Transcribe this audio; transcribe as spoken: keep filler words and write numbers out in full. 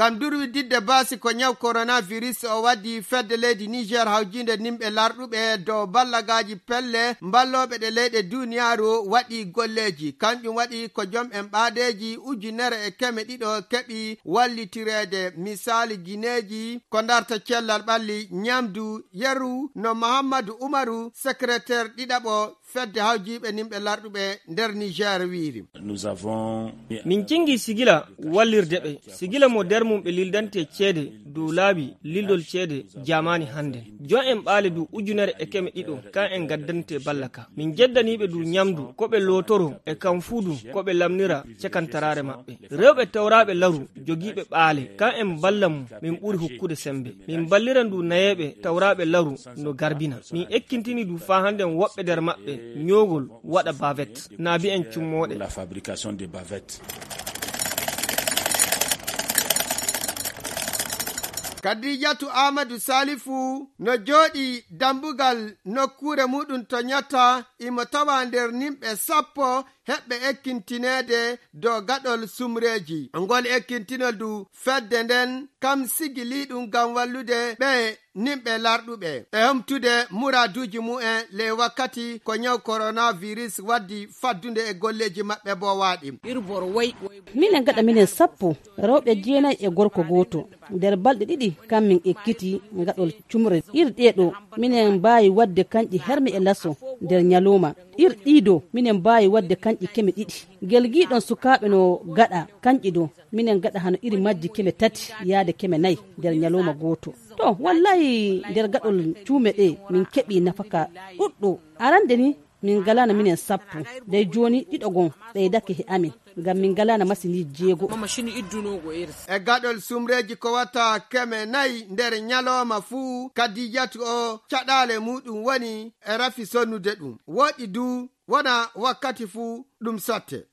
ngam durwididde baasi ko nyaw coronavirus o waddi fedde leydi Niger hawjinde nimɓe larɗuɓe dow ballagaji pelle mballoɓe ɗe leyɗe duniyaaru waɗi golleji. Kanjum waɗi ko jom en ɓaadeji ujunere e keme ɗiɗo keɓi wallitirede misali guineji ko darta cellal ɓalli nyamdu yeru no Mahamadou Umaru secrétaire ɗiɗaɓo fedde hawjiɓe nimɓe larɗuɓe nder Niger wiiri. Min jingi sigila wallirde ɓe sigila mo nder mum ɓe lildante ceede dow laabi lildol ceede jamani hande jon en ɓaale du ujunere e keme ɗiɗo kan en gaddante ballaka min jeddaniɓe du nyamdu ko ɓe lotoro e kam fuudu ko ɓe lamnira cekantarare maɓɓe rewɓe tawraɓe laru jogiɓe ɓaale kan en balla mum min ɓuri hokkude sembe min balliran du nayeɓe tawraɓe laru no garbina min ekkintini du fa hande woɓɓe nder maɓɓe nyogol waɗa bavette naabi en cummoɗe la fabrication de bavette. Kadijatu Amadou Salifu no jooɗi dambugal nokkure muɗum to nyata imo tawa nder nimɓe sappo heɓɓe ekkintinede dow gaɗol sumreji. Ngol ekkintinol du fedde nden kam sigiliɗum ngam wallude ɓe nimɓe larɗuɓe e homtude muraduji mu'en le wakkati ko nyaw coronavirus waddi faddude e golleji maɓɓe bo waaɗi. Minen gaɗa minen sappo rewɓe jeenayi e gorko goto nder balɗe ɗiɗi kam min ekkiti gaɗol cumre irɗeɗo minen mbawi wadde kanƴi hermi e lasso nder nyaloma irɗiɗo minen mbawi wadde kanƴi keme ɗiɗi gel giɗon sukaɓe no gaɗa kanƴi ɗo minen gaɗa hano iri majji keme tati yaade keme nayyi nder nyaloma goto. To wallahi nder gaɗol cuume ɗe min keɓi nafaka ɗuɗɗo arande ni min galana minen sappo dey joni ɗiɗo gon ɓeydake he amin ngam min galana masini jeego e gaɗol sumreji ko watta keme nayi nder nyaloma fuu Kadijatu o caɗale muɗum woni e rafi sonnude ɗum woɗi du wona wakkati fuu ɗum sotte.